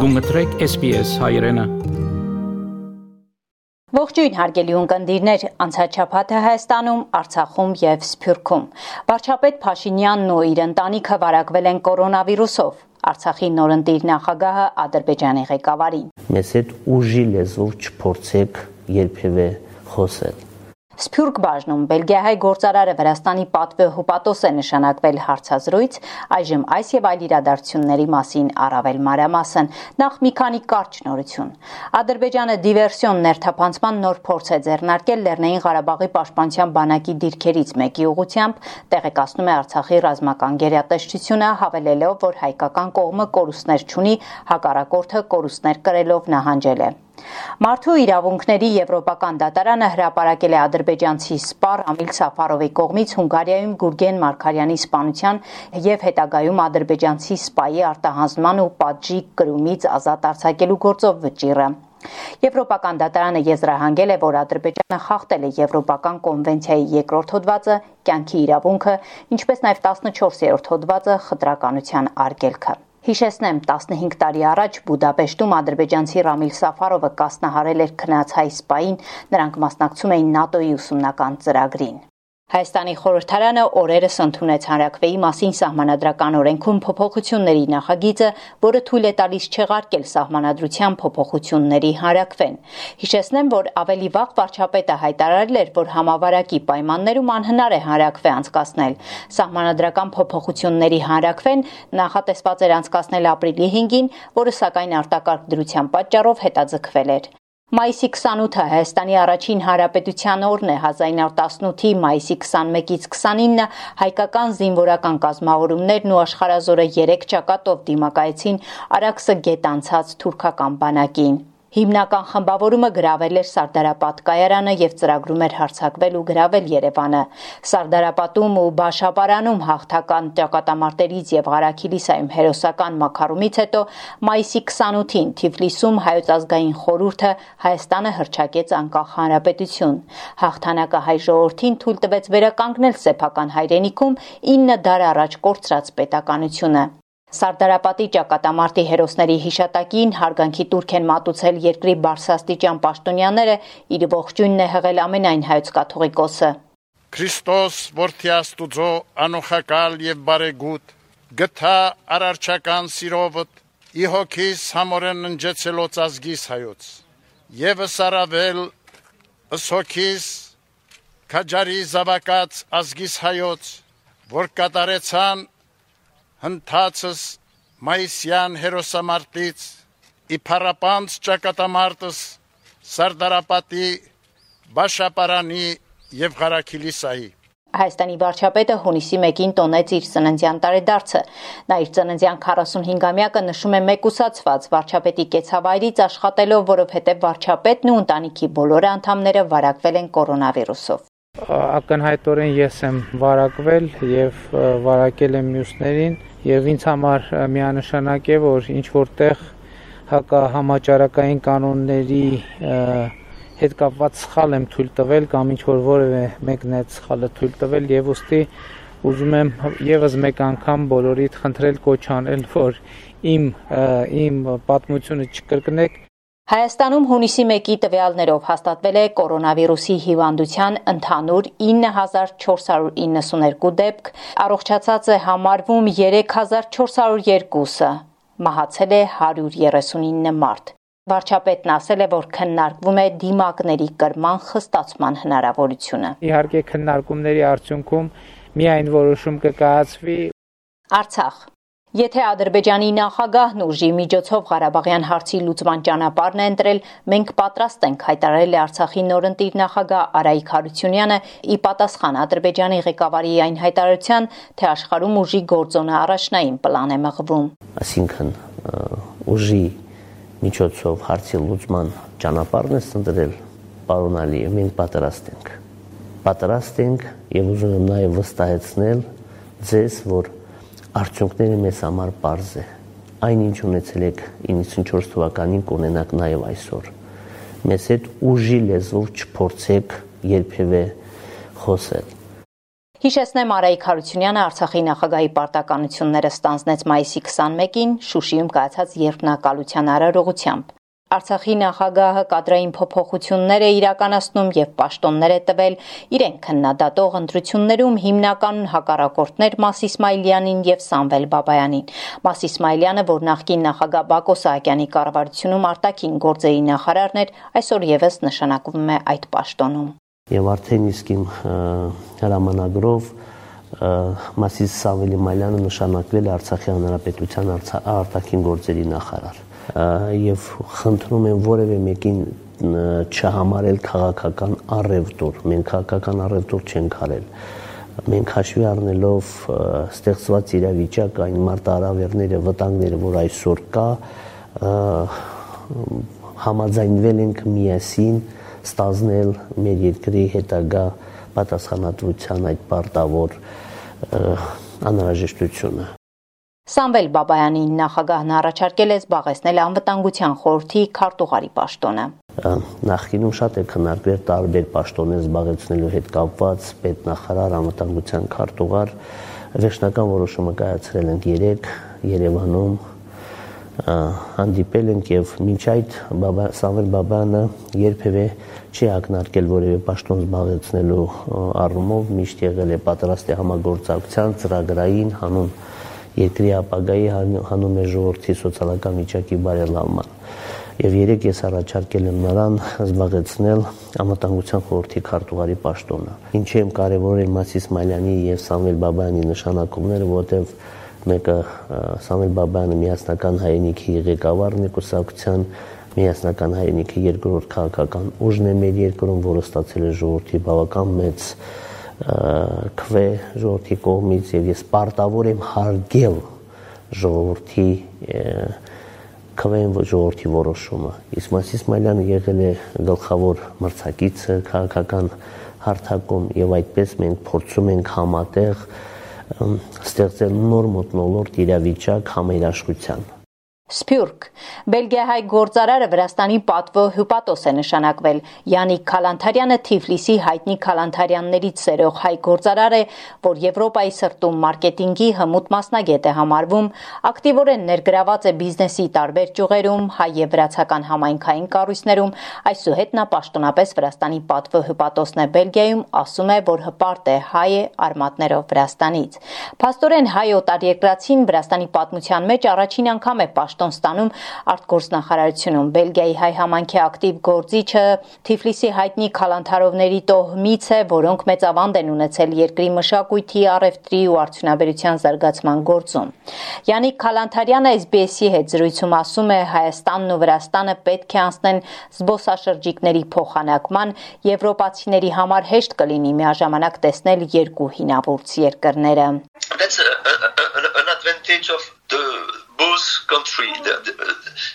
Գումտրեք SPS հայրենը։ Ողջույն հարգելի ունկնդիրներ, անցած շաբաթը Հայաստանում, Արցախում եւ Սփյուռքում վարչապետ Փաշինյանն ու իր ընտանիքը վարակվել են կորոնավիրուսով։ Արցախի նորընտիր նախագահը Ադրբեջանի ղեկավարին։ Մեզ հետ ուժի լեզվով չփորձեք երբևէ խոսել։ Սփյուռք բաժնում Բելգիահայ գործարարը Վրաստանի պատվո է նշանակվել հարցազրույց, այժմ այս եւ այլ իրադարձությունների մասին առավել մանրամասն, նախ մի քանի կարճ նորություն։ Ադրբեջանը դիվերսիոն ներթափանցման նոր փորձ է ձեռնարկել Լեռնային Ղարաբաղի պաշտպանության բանակի դիրքերից մեկի ուղղությամբ, տեղեկացնում է Արցախի ռազմական գերատեսչությունը, հավելելով, որ հայկական կողմը կորուստներ չունի, հակառակորդը կորուստներ կրելով նահանջել է։ Մարդու իրավունքների եվրոպական դատարանը հրապարակել է ադրբեջանցի սպա Ռամիլ Սաֆարովի կողմից Հունգարիայում Գուրգեն Մարգարյանի սպանության եւ հետագայում ադրբեջանցի սպայի արտահանձնման ու պատժի կրումից ազատ արձակելու գործով վճիռը։ Եվրոպական դատարանը եզրահանգել է, որ Ադրբեջանը խախտել է Եվրոպական կոնվենցիայի երկրորդ հոդվածը, կյանքի իրավունքը, ինչպես նաեւ 14-րդ հոդվածը խտրականության արգելքը։ Հիշեցնեմ, 15 տարի առաջ Բուդապեշտում ադրբեջանցի Ռամիլ Սաֆարովը կասնահարել էր քնած հայ սպային, նրանք մասնակցում էին ՆԱՏՕ-ի ուսումնական ծրագրին։ Հայաստանի խորհրդարանը օրերս ընդունեց հանրաքվեի մասին սահմանադրական օրենքում փոփոխությունների նախագիծը, որը թույլ է տալիս չեղարկել սահմանադրության փոփոխությունների հանրաքվեն։ Հիշեցնեմ, որ ավելի վաղ վարչապետը հայտարարել էր, որ համավարակի պայմաններում անհնար է հանրաքվե անցկացնել։ Սահմանադրական փոփոխությունների հանրաքվեն նախատեսված էր անցկացնել ապրիլի 5-ին, որը սակայն արտակարգ դրության պատճառով հետաձգվել էր։ Մայիսի 28-ը Հայաստանի առաջին հանրապետության օրն է, 1918-ի մայիսի 21-ից 29-ը հայկական զինվորական կազմավորումներն ու աշխարհազորը 3 ճակատով դիմակայեցին Արաքսը գետ անցած թուրքական բանակին։ Հիմնական խմբավորումը գրավել էր Սարդարապատ կայարանը եւ ծրագրում էր հարձակվել ու գրավել Երևանը։ Սարդարապատում ու Բաշապարանում հաղթական ճակատամարտերից եւ Ղարաքիլիսայում հերոսական մաքարումից հետո մայիսի 28-ին Թիֆլիսում Հայոց ազգային խորհուրդը Հայաստանը հռչակեց անկախ հանրապետություն։ Հաղթանակը հայ ժողովրդին թույլ տվեց վերականգնել սեփական հայրենիքում 9 դար առաջ կորցրած պետականությունը։ Սարդարապատի ճակատամարտի հերոսների հիշատակին հարգանքի տուրք են մատուցել երկրի բարձրաստիճան պաշտոնյաները, իր ողջույնն է հղել ամենայն հայոց կաթողիկոսը։ Քրիստոս որդի Աստուծո անոխակալ եւ բարեգութ, գթա արարչական սիրովդ, ի հոգիս համորեն ընջեցելոց ազգիս հայոց, եւս արավել ըսհոգիս քաջարի զավակած ազգիս հայոց, որ կատարեցան հնդացս մայիսյան հերոսամարտից, իփարապանց ճակատամարտս Սարդարապատի, Բաշապարանի եւ Ղարաքիլիսայի։ Հայաստանի վարչապետը հունիսի 1-ին տոնեց իր ծննդյան տարեդարձը։ Նա իր ծննդյան 45-ամյակը նշում է մեկուսացված վարչապետի կեցավայրից աշխատելով, որովհետև վարչապետն ու ընտանիքի բոլոր անդամները վարակվել են կորոնավիրուսով։ Ակնհայտորեն ես եմ վարակվել եւ վարակել եմ մյուսներին եւ ինձ համար միանշանակ է, որ ինչ որտեղ հակահամաճարակային կանոնների հետ կապված սխալ եմ թույլ տվել կամ ինչ որ որևէ մեկն է սխալը թույլ տվել եւ ուստի ուզում եմ եւս մեկ անգամ բոլորիդ խնդրել կոչ անել, որ իմ պատմությունը չկրկնեք։ Հայաստանում հունիսի 1-ի տվյալներով հաստատվել է կորոնավիրուսի հիվանդության ընդհանուր 9492 դեպք, առողջացած է համարվում 3402-ը, մահացել է 139 մարդ։ Վարչապետն ասել է, որ քննարկվում է դիմակների կրման խստացման հնարավորությունը։ Իհարկե քննարկումների արդյունքում միայն որոշում կկայացվի։ Արցախ։ Եթե Ադրբեջանի նախագահն ուժի միջոցով Ղարաբաղյան հարցի լուծման ճանապարհն է ընտրել, մենք պատրաստ ենք, հայտարարել է Արցախի նորընտիր նախագահ Արայիկ Հարությունյանը, ի պատասխան Ադրբեջանի ղեկավարի այն հայտարարության, թե աշխարհում ուժի գործոնը առաջնային պլան է մղվում։ Այսինքն ուժի միջոցով հարցի լուծման ճանապարհն է ընտրել, պարոն Ալիև, մենք պատրաստ ենք եւ ուզում եմ նաեւ վստահեցնել ձեզ, որ արդյունքները մեզ համար պարզ է։ Այն ինչ ունեցել եք 94 թվականին կունենաք նաև այսօր։ Մեզ հետ ուժի լեզվով չփորձեք երբևէ խոսել։ Հիշեցնեմ, Արայիկ Հարությունյանը Արցախի նախագահի պարտականությունները ստանձնեց մայիսի 21-ին Շուշիում կայացած երկնակալության արարողությամբ։ Արցախի նախագահը կադրային փոփոխություններ է իրականացնում եւ պաշտոններ է տվել իրեն քննադատող ընտրություններում հիմնական հակառակորդներ Մաս Իսմայիլյանին եւ Սամվել Բաբայանին։ Մաս Իսմայիլյանը, որ նախկին նախագահ Բակո Սահակյանի կառավարությունում արտաքին գործերի նախարարն էր, այսօր եւս նշանակվում է այդ պաշտոնում։ Եվ արդեն իսկ իմ հրամանագրով Մասիս Սամվել Բաբայանը նշանակվել է Արցախի հանրապետության արտաքին գործերի նախարար։ Եվ խնդրում եմ որևէ մեկին չհամարել քաղաքական առևտուր։ Մենք քաղաքական առևտուր չենք արել։ Մենք հաշվի առնելով ստեղծված իրավիճակը, այն մարտահրավերները, վտանգները, որ այսօր կա, համաձայնվել ենք միասին ստանձնել մեր երկրի հետագա պատասխանատվության այդ պարտավոր անհրաժեշտությունը։ Սամվել Բաբայանին նախագահն առաջարկել է զբաղեցնել անվտանգության խորհրդի քարտուղարի պաշտոնը։ Նախկինում շատ է քննարկվել տարբեր պաշտոններ զբաղեցնելու հետ կապված պետնախարար, անվտանգության քարտուղար։ Վերջնական որոշումը կայացրել ենք 3 Երևանում, հանդիպել ենք եւ մինչ այդ Սամվել Բաբայանը երբևէ չի ակնարկել որևէ պաշտոն զբաղեցնելու առումով, միշտ եղել է պատրաստ է համագործակցության ծրագրային հանուն երկրի ապագայի հանուն մեր ժողովրդի սոցիալական վիճակի բարելավման։ Եվ երեք ես առաջարկել եմ նրան զբաղեցնել անվտանգության խորհրդի քարտուղարի պաշտոնը։ Ինչի եմ կարևորել Մաս Իսմայիլյանի եւ Սամվել Բաբայանի նշանակումները, որտեղ մեկը Սամվել Բաբայանը միասնական հայրենիքի ղեկավարն է կուսակցության, միասնական հայրենիքի երկրորդ քաղաքական ուժն է մեր երկրում, որը ստացել է ժողովրդի բավական մեծ քվե ժողովրդի կողմից եւ ես պարտավոր եմ հարգել ժողովրդի քվեն ժողովրդի որոշումը։ Իսկ Մաս Իսմայիլյանը եղել է գլխավոր մրցակիցը քաղաքական հարթակում եւ այդպես մենք փորձում ենք համատեղ ստեղծել նոր մթնոլորտ իրավիճակ համերաշխության։ Սփյուռք Բելգիահայ գործարարը Վրաստանի պատվո հյուպատոս է նշանակվել։ Յանիկ Քալանթարյանը Թիֆլիսի հայտնի Քալանթարյաններից սերող հայ գործարար է, որ Եվրոպայի սրտում մարքեթինգի հմուտ մասնագետ է համարվում, ակտիվորեն ներգրաված է բիզնեսի տարբեր ճյուղերում, հայ եւ վրացական համայնքային կառույցներում, այսուհետ նա պաշտոնապես Վրաստանի պատվո հյուպատոսն է Բելգիայում, ասում է, որ հպարտ է հայ է արմատներով Վրաստանից։ Փաստորեն հայ օտարերկրացին Վրաստանի պատմության մեջ առաջին անգամ է ստանում արտգործնախարարությունում Բելգիայի հայ համայնքի ակտիվ գործիչը Թիֆլիսի հայտնի քալանթարովների տոհմից է, որոնք մեծ ավանդ են ունեցել երկրի մշակույթի, առևտրի ու արդյունաբերության զարգացման գործում։ Յանիկ Քալանթարյանը SBS-ի հետ զրույցում ասում է, Հայաստանն ու Վրաստանը պետք է անցնեն զբոսաշրջիկների փոխանակման, եվրոպացիների համար հեշտ կլինի միաժամանակ տեսնել երկու հինավուրց երկրները։ That's an advantage of both countries.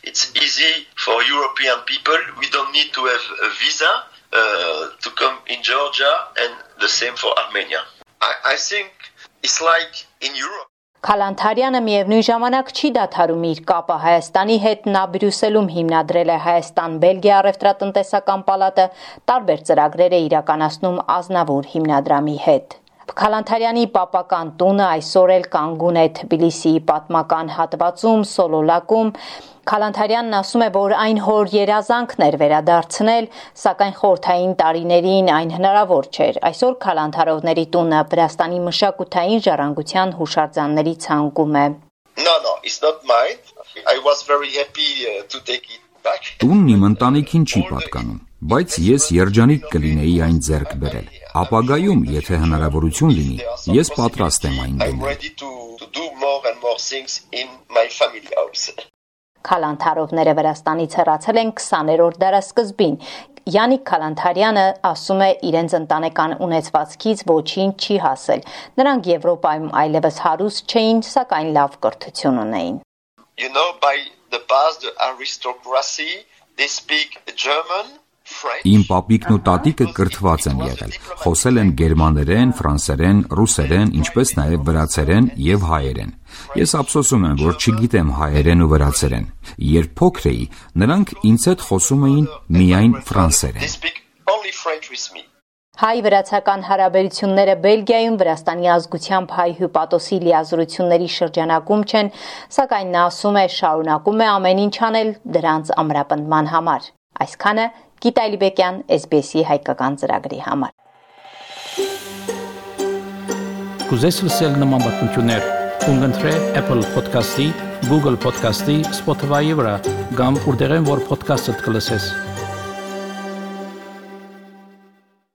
It's easy for European people. We don't need to have a visa to come in Georgia, and the same for Armenia. I think it's like in Europe. Քալանթարյանը միևնույն ժամանակ չի դադարում իր կապը Հայաստանի հետ, նա Բրյուսելում հիմնադրել է Հայաստան-Բելգիա առևտրատնտեսական պալատը, տարբեր ծրագրեր է իրականացնում Ազնավուր հիմնադրամի հետ։ Քալանթարյանի պապական տունը այսօր էլ կանգուն է Թբիլիսիի պատմական հատվածում, Սոլոլակում։ Քալանթարյանն ասում է, որ այն հոր երազանքն էր վերադարձնել, սակայն խորհրդային տարիներին այն հնարավոր չէր։ Այսօր Քալանթարովների տունը Վրաստանի մշակութային ժառանգության հուշարձանների ցանկում է։ No, it's not mine. I was very happy to take it back. Տունն իմ ընտանիքին չի պատկանում, բայց ես երջանիկ կլինեի այն ձեռք բերել։ Ապագայում, եթե հնարավորություն լինի, ես պատրաստ եմ այն դնել։ Քալանթարովները Վրաստանից հեռացել են 20-րդ դարասկզբին։ Յանիկ Քալանթարյանը ասում է, իրենց ընտանեկան ունեցվածքից ոչինչ չի հասել։ Նրանք Եվրոպայում այլևս հարուստ չէին, սակայն լավ կրթություն ունեին։ You know, by the past, the aristocracy, they speak German. Իմ պապիկն ու տատիկը կրթված են եղել, խոսել են գերմաներեն, ֆրանսերեն, ռուսերեն, ինչպես նաև վրացերեն եւ հայերեն։ Ես ափսոսում եմ, որ չգիտեմ հայերեն ու վրացերեն։ Երբ փոքր էի, նրանք ինձ հետ խոսում էին միայն ֆրանսերեն։ Հայ-վրացական հարաբերությունները Բելգիայում Վրաստանի ազգությամբ հայ հյուպատոսի լիազորությունների շրջանակում չեն, սակայն նա ասում է շարունակում է ամեն ինչ անել դրանց ամրապնդման համար։ Այսքանը Գիտա Լիբեկյան, SBS-ի հայկական ծրագրի համար։ Կուզես լսել նման բանություններ, կընտրե Apple Podcast-ի, Google Podcast-ի, Spotify-ի վրա, կամ որտեղեն որ podcast-ը կլսես։